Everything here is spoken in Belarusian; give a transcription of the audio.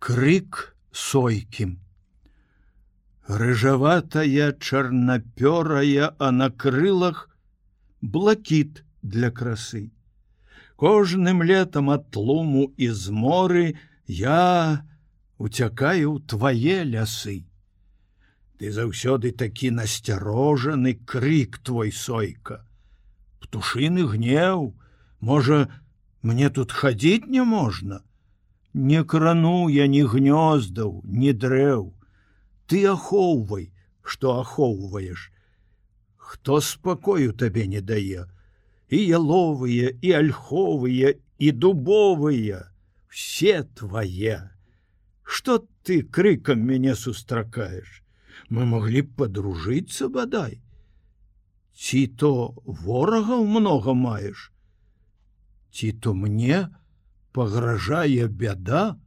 Крык сойкі. Рыжаватая, чарнапёрая, а на крылах блакіт для красы. Кожным летом ад тлуму і зморы я уцякаю ў твае лясы. Ты заўсёды такі насцярожаны, крык твой, сойка. Птушыны гнеў, можа, мне тут хадзіць не можна? Не крану я ні гнёздаў, ні дрэў. Ты ахоўвай, што ахоўваеш. Хто спакою табе не дае? І яловыя, і альховыя, і дубовыя, все твае. Што ты крыкам мяне сустракаеш? Мы маглі б падружыцца бадай. Ці то ворагаў многа маеш? Ці то мне пагражае бяда?